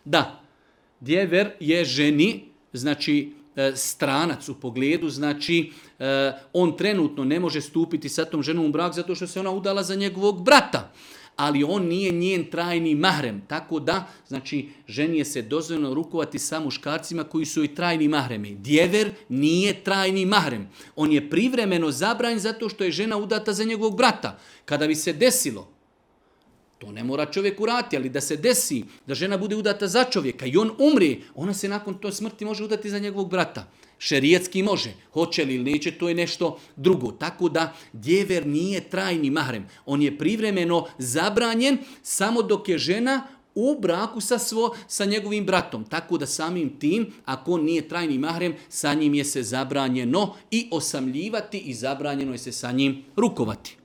Da, djever je ženi, znači stranac u pogledu, znači on trenutno ne može stupiti sa tom ženom u brak zato što se ona udala za njegovog brata. Ali on nije njen trajni mahrem. Tako da, znači, ženi je se dozvoljeno rukovati sa muškarcima koji su i trajni mahremi. Djever nije trajni mahrem. On je privremeno zabranjen zato što je žena udata za njegovog brata. Kada bi se desilo, to ne mora čovjek uraditi, ali da se desi da žena bude udata za čovjeka i on umri, ona se nakon to smrti može udati za njegovog brata. Šerijetski može. Hoće li ili neće, to je nešto drugo. Tako da djever nije trajni mahrem. On je privremeno zabranjen samo dok je žena u braku sa njegovim bratom. Tako da samim tim, ako on nije trajni mahrem, sa njim je se zabranjeno i osamljivati i zabranjeno je se sa njim rukovati.